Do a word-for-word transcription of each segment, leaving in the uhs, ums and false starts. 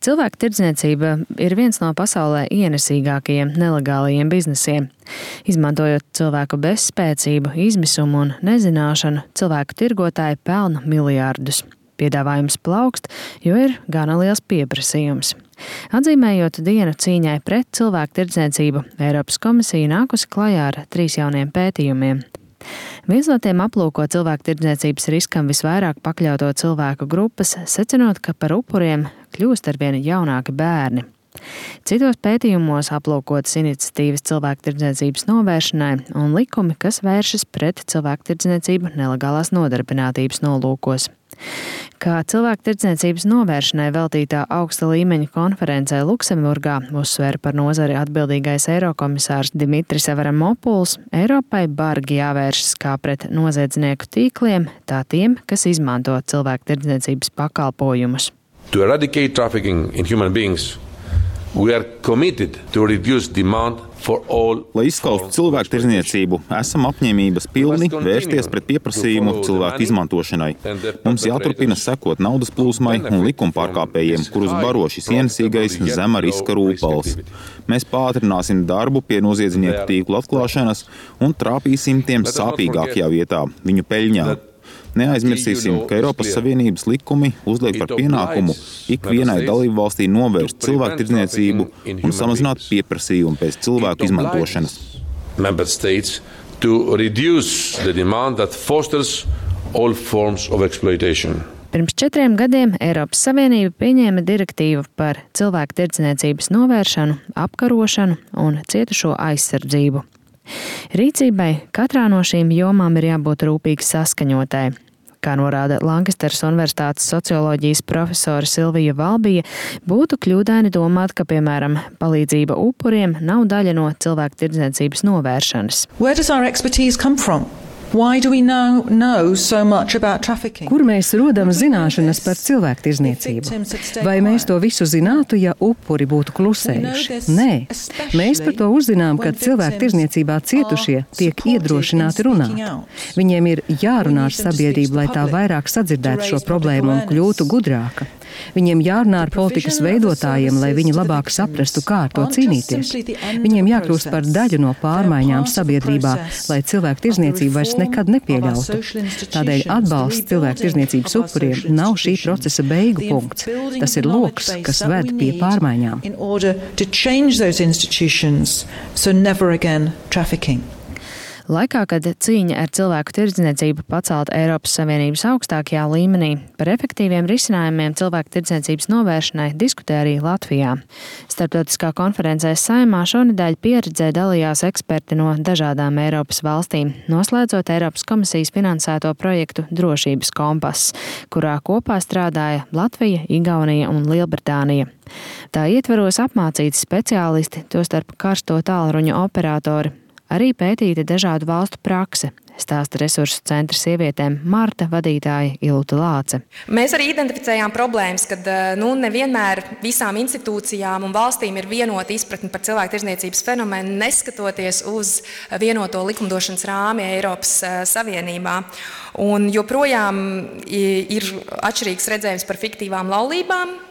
Cilvēku tirdzniecība ir viens no pasaulē ienesīgākajiem nelegālajiem biznesiem. Izmantojot cilvēku bezspēcību, izmisumu un nezināšanu, cilvēku tirgotāji pelna miljārdus. Piedāvājums plaukst, jo ir gana liels pieprasījums. Atzīmējot dienu cīņai pret cilvēku tirdzniecību, Eiropas komisija nākusi klajā ar trīs jauniem pētījumiem. Viens no tiem aplūko cilvēku tirdzniecības riskam visvairāk pakļauto cilvēku grupas, secinot, ka par upuriem kļūst arvien jaunāki bērni. Citos pētījumos aplūkotas iniciatīvas cilvēku tirdzniecības novēršanai un likumi, kas vēršas pret cilvēku tirdzniecību nelegālās nodarbinātības nolūkos. Kā cilvēku tirdzniecības novēršanai veltītā augsta līmeņa konferencē Luksemburgā uzsvēra par nozari atbildīgais eirokomisārs Dimitris Avramopuls, Eiropai bargi jāvēršas kā pret noziedznieku tīkliem, tā tiem, kas izmanto cilvēku tirdzniecības pakalpojumus. To eradicate trafficking in human beings, we are committed to reduce demand for all. Lai izskaustu cilvēku tirdzniecību, esam apņēmības pilni vērsties pret pieprasījumu cilvēku izmantošanai. Mums jāturpina sekot naudas plūsmai un likumpārkāpējiem, kurus baro šis ienesīgais zema riska rūpals. Mēs pātrināsim darbu pie noziedznieku tīklu atklāšanas un trāpīsim tiem sāpīgākajā vietā, viņu peļņā. Neaizmirsīsim, ka Eiropas Savienības likumi uzliek par pienākumu ikvienai dalībvalstī novērst cilvēku tirdzniecību un samazināt pieprasījumu pēc cilvēku izmantošanas. Member states to reduce the demand that fosters all forms of exploitation. Pirms četriem gadiem Eiropas Savienība pieņēma direktīvu par cilvēku tirdzniecības novēršanu, apkarošanu un cietušo aizsardzību. Rīcībai katrā no šīm jomām ir jābūt rūpīgi saskaņotai. Kā norāda Lankasteras Universitātes socioloģijas profesore Silvija Valbija, būtu kļūdaini domāt, ka, piemēram, palīdzība upuriem nav daļa no cilvēku tirdzniecības novēršanas. Where does our expertise come from? Why do we now know so much about trafficking? Kur mēs rodam zināšanas par cilvēku tirdzniecību? Vai mēs to visu zinātu, ja upuri būtu klusējuši? Nē. Mēs par to uzzinām, kad cilvēku tirdzniecībā cietušie tiek iedrošināti runāt. Viņiem ir jārunā ar sabiedrību, lai tā vairāk sadzirdētu šo problēmu un kļūtu gudrāka. Viņiem jārunā ar politikas veidotājiem, lai viņi labāk saprastu, kā ar to cīnīties. Viņiem jākļūst par daļu no pārmaiņām sabiedrībā, lai cilvēku tirdzniecību vairs nekad nepieļautu. Tādēļ atbalsts cilvēku tirdzniecības upuriem nav šī procesa beigu punkts. Tas ir loks, kas ved pie pārmaiņām. Laikā, kad cīņa ar cilvēku tirdzniecību pacelta Eiropas Savienības augstākajā līmenī, par efektīviem risinājumiem cilvēku tirdzniecības novēršanai diskutē arī Latvijā. Starptautiskā konferencē Saeimā šonedēļ pieredzē dalījās eksperti no dažādām Eiropas valstīm, noslēdzot Eiropas komisijas finansēto projektu Drošības kompass, kurā kopā strādāja Latvija, Igaunija un Lielbritānija. Tā ietveros apmācīti speciālisti, tostarp karsto tālruņu operatori. Arī pētīta dažādu valstu prakse, stāsta resursu centra sievietēm Marta vadītāja Ilūta Lāce. Mēs arī identificējām problēmas, kad nu, nevienmēr visām institūcijām un valstīm ir vienota izpratne par cilvēku tirdzniecības fenomenu, neskatoties uz vienoto likumdošanas rāmi Eiropas Savienībā. Un joprojām ir atšķirīgs redzējums par fiktīvām laulībām.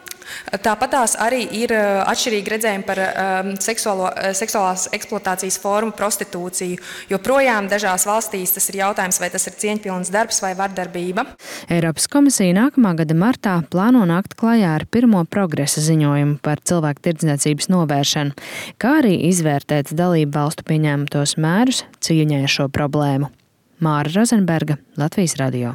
Tāpatās arī ir atšķirīgi redzējumi par um, seksuālo, seksuālās eksploatācijas formu prostitūciju, jo projām dažās valstīs tas ir jautājums, vai tas ir cieņpilns darbs vai vardarbība. Eiropas komisija nākamā gada martā plāno nākt klajā ar pirmo progresa ziņojumu par cilvēku tirdzniecības novēršanu, kā arī izvērtēt dalību valstu pieņemtos mērus cīņai ar šo problēmu. Māra Rozenberga, Latvijas radio.